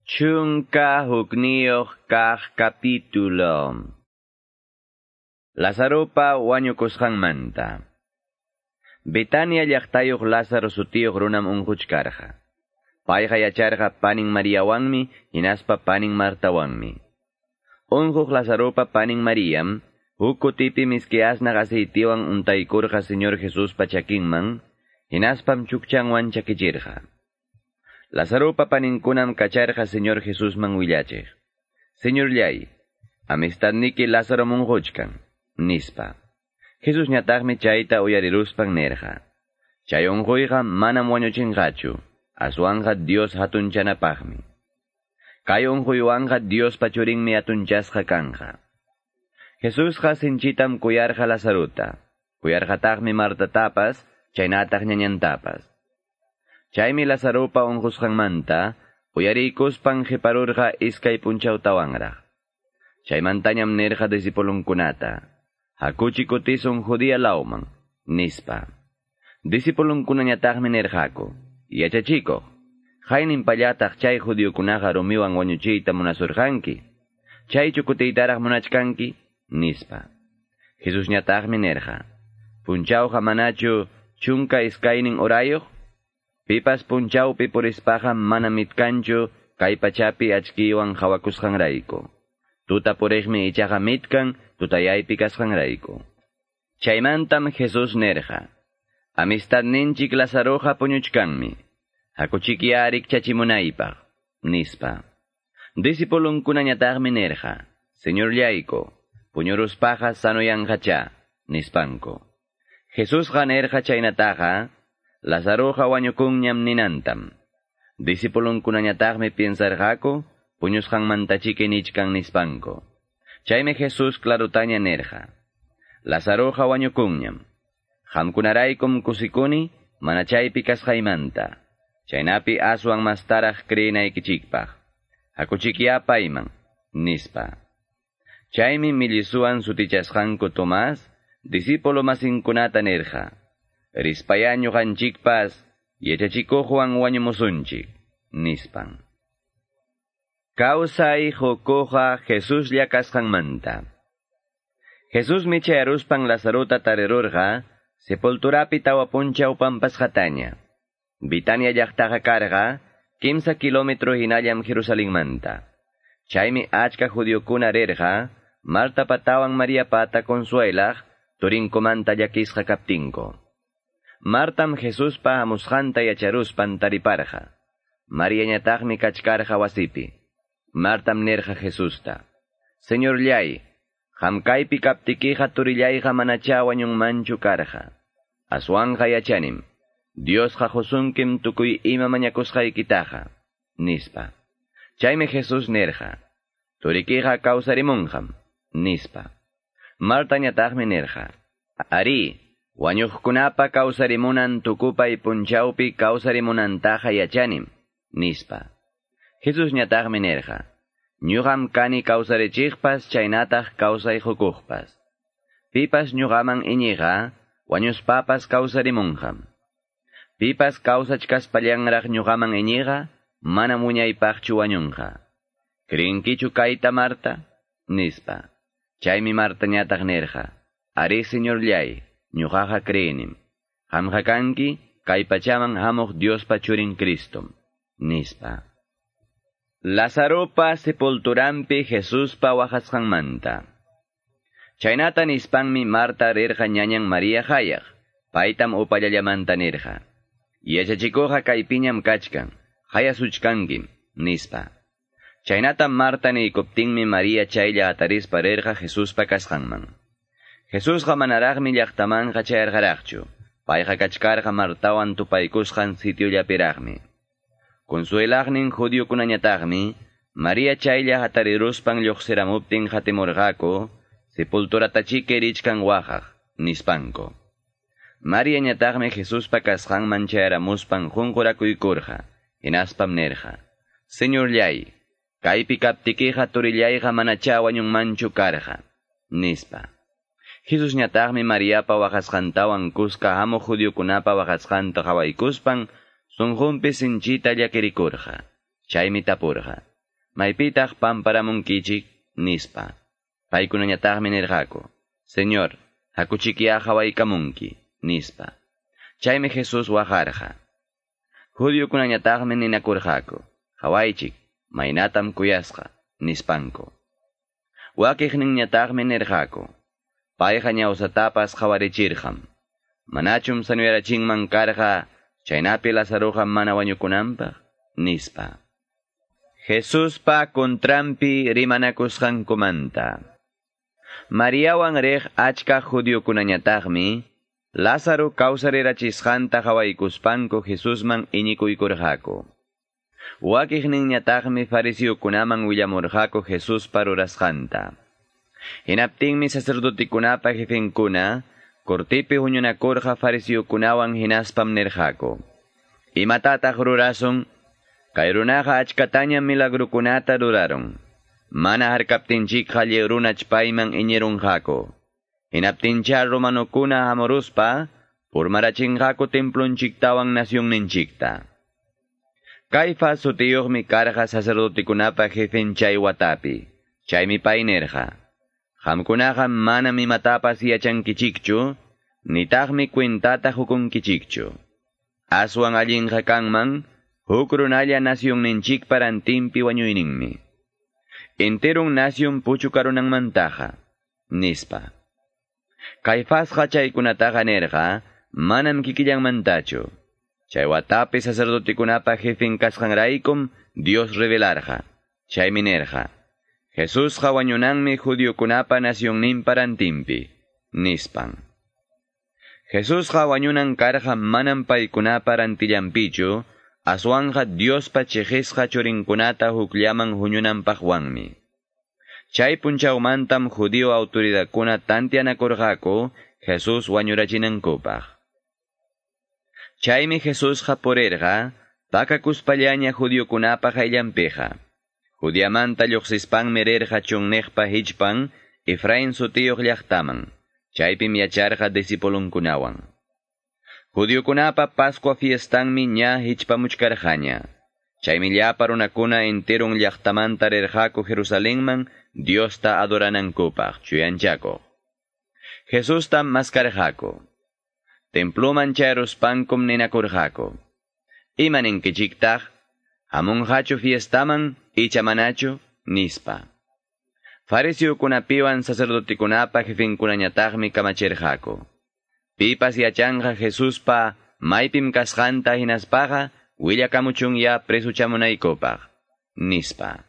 11 kaq capítulo. Lazaropa wañukusqanmanta. Betania llaqtayuq Lázaro sutiyuq runam unquchkarqa. Payqa yacharqa panin Mariawanmi hinaspa panin Martawanmi. Unquq Lazaropa panin Mariam huk kutipi miski asnaq aceitiwan untaykurqa Señor Jesuspa chakinman hinaspam chukchanwan chakichirqa. Lazaropa paninkunam kacharqa Señor Jesusman willachiq. Señorllay, amistadniki Lázaro unquchkan, nispa. Jesusñataqmi chayta uyariruspan nirqa. Chay unquyqa manam wañuchinqachu, aswanqa Dios hatunchanapaqmi. Kay unquywanqa Diospa churinmi hatunchasqa kanqa. Jesusqa sinchitam kuyarqa Lazarota, kuyarqataqmi Martatapas, chaynataq ñañantapas. Chaymi Lazaropa unqusqanmanta uyariykuspan qiparurqa iskay punchawtawanraq. Chaymantañam nirqa discipulunkunata, hakuchi kutisun Judea lawman, nispa. Discipulunkunañataqmi nirqaku, yachachikuq, hayninpallataq chay judiokunaqa rumiwan wañuchiyta munasurqanki, chaychu kutiytaraq munachkanki, nispa. Jesusñataqmi nirqa, punchawqa manachu 12 horayuq? Pipas punchawpi purispaqa mana mitkanchu kay pachapi achkiwan hawakusqanrayku. Tuta puriqmi ichaqa mitkan tutayaypi kasqanrayku. Chaymantam Jesús nirqa, amistadninchik Lazaroqa puñuchkanmi, hakuchikya rikchachimunaypaq, nispa. Discipulunkunañataqmi nirqa, Señorllayku, puñuruspaqa sanoyanqacha, nispanku. Jesusqa nirqa chaynataqa, Lazaroqa wañukunñam ninantam. Discipulunkunañataqmi piensarqaku, puñusqanmantachiki nichkan nispanku. Chaymi Jesús clarutaña nirqa, Lazaroqa wañukunñam. Qamkunaraykum kusikuni, mana chaypi kasqaymanta. Chaynapi aswan mastaraq creenaykichikpaq. Hakuchikya payman, nispa. Chaymi millisuwan sutichasqanku Tomás, discípulo masinkunata nirqa, rispaya ñuqanchikpas yachachikuqwan wañumusunchik, nispan. Kawsay qukuqqa Jesuslla kasqanmanta. Jesusmi chayaruspan Lazarota tarirurqa sepulturapi 4 punchaw pampasqataña. Betania llaqtaqa karqa 3 kilómetro hinallam Jerusalenmanta. Chaymi achka judiokuna rirqa Martapatawan Mariapata consuelaq turinkumanta llakisqa kaptinku. Martam Jesuspa hamusqanta yacharuspan tariparqa. Mariañataqmi kachkarqa wasipi. Martam nirqa Jesusta, Señorllay, qam kaypi kaptikiqa turillayqa manacha wañunmanchu karqa. Aswanqa yachanim, Diosqa qusunkim tukuy ima mañakusqaykitaqa, nispa. Chaymi Jesús nirqa, turikiqa kawsarimunqam, nispa. Martañataqmi nirqa, ari, wañuqkunapa kawsarimunan tukupay punchawpi kawsarimunantaqa yachanim, nispa. Jesusñataqmi nirqa, ñuqam kani kawsarichiqpas chaynataq kawsay qukuqpas. Pipas ñuqaman iñiqa, wañuspapas kawsarimunqam. Pipas kawsachkaspallanraq ñuqaman iñiqa, manam wiñaypaqchu wañunqa. Creenkichu kayta Marta? Nispa. Chaymi Martañataq nirqa, ari Señorllay, ñuqaqa creenim. Qamqa kanki kay pachaman hamuq Diospa churin Cristom, nispa. Lazaropa sepulturampi Jesuspa waqasqanmanta. Chaynata nispanmi Marta rirqa ñañan María hayaq, paytam upallallamanta nirqa. Yachachikuqqa kaypiñam kachkan, hayasuchkankim, nispa. Chaynata Marta niykuptinmi María chaylla atarispa rirqa Jesuspa kasqanman. Jesusqa manaraqmi llaqtamanqa chayarqaraqchu, payqa kachkarqa Martawan tupaykusqan sitiollapiraqmi. Consuelaqnin judiokunañataqmi, María chaylla hatariruspan lluqsiramuptin hatimurqaku, sepulturatachiki richkan waqaq, nispanku. Mariañataqmi Jesuspa kasqanman chayaramuspan qunqurakuykurqa, hinaspam nirqa, Señorllay, kaypi kaptikiqa turillayqa manacha wañunmanchu karqa, nispa. Jesusñataqmi Mariapa waqasqantawan kuska hamuq judiokunapa waqasqanta qhawaykuspan sunqunpi sinchita llakirikurqa. Chaymi tapurqa, Maypitaq pamparamunkichik, nispa. Paykunañataqmi nirqaku, Señor, hakuchikya hawaykamunki, nispa. Chaymi Jesús waqarqa. Judiokunañataqmi ninakurqaku, hawaychik, maynatam kuyasqa, nispanku. Wakiqninñataqmi nirqaku, payqa ñawsatapas qhawarichirqam. Manachum sanuyarachinman karqa, chaynapi Lazaroqa mana wañukunanpaq, nispa. Jesuspa contranpi rimanakusqankumanta. Mariawan riq achka judiokunañataqmi, Lázaro kawsarirachisqanta qhawaykuspanku Jesusman iñikuykurqaku. Wakiqninñataqmi fariseokunaman willamurqaku Jesuspa rurasqanta. Hinaptinmi sacerdotekunapa jefenkuna, cortipi huñunakurqa fariseokunawan hinaspam nirqaku. Imatataq rurasun? Kay runaqa achkatañam milagrukunata rurarun. Mana harkaptinchikqa lliw runach payman iñirunqaku. Hinaptincha romanokuna hamuruspa, purmarachinqaku templonchiktawan nacionninchikta. Caifás sutiyuqmi karqa sacerdotekunapa jefen chay watapi. Chaymi pay nirqa. Qamkunaqa manam imatapas yachankichikchu, nitaqmi cuentata hukunkichikchu. Aswan allinqa kanman, huk runalla nacionninchikpa rantinpi wañuyninmi. Enterun nación puchukarunanmantaqa, nispa. Caifasqa chaykunataqa nirqa, manam kikillanmantachu. Chay watapi sacerdotekunapa jefen kasqanraykum Dios revelarqa. Chaymi nirqa, Jesusqa wañunanmi judiokunapa nacionninpa rantinpi, nispan. Jesusqa wañunan karqa manam paykunapa rantillanpichu, aswanqa Diospa chiqisqa churinkunata hukllaman huñunanpaqwanmi. Chay punchawmantam judío autoridadkuna tantianakurqaku Jesús wañurachinankupaq. Chaymi Jesusqa purirqa pakakuspallaña judiokunapa qayllanpiqa. Judiamanta lluqsispanmi rirqa chunniqpa hichpan Efraín sutiyuq llaqtaman. Chaypim yacharqa discipulunkunawan. Judiokunapa Pascua fiestanmi ña hichpamuchkarqaña. Chaymi llapa runakuna enterun llaqtamanta rirqaku Jerusalenman Diosta adoranankupaq chuyanchakuq. Jesustam maskarqaku. Templuman chayruspankum ninakurqaku. Ima ninkichiktaq? Hamunqachu fiestaman icha manachu? Nispa. Fariseokunapiwan sacerdotekunapa jefenkunañataqmi kamachirqaku. Pipas yachanqa Jesuspa maypim kasqanta hinaspaqa willakamuchunya presuchamunaykupaq, nispa.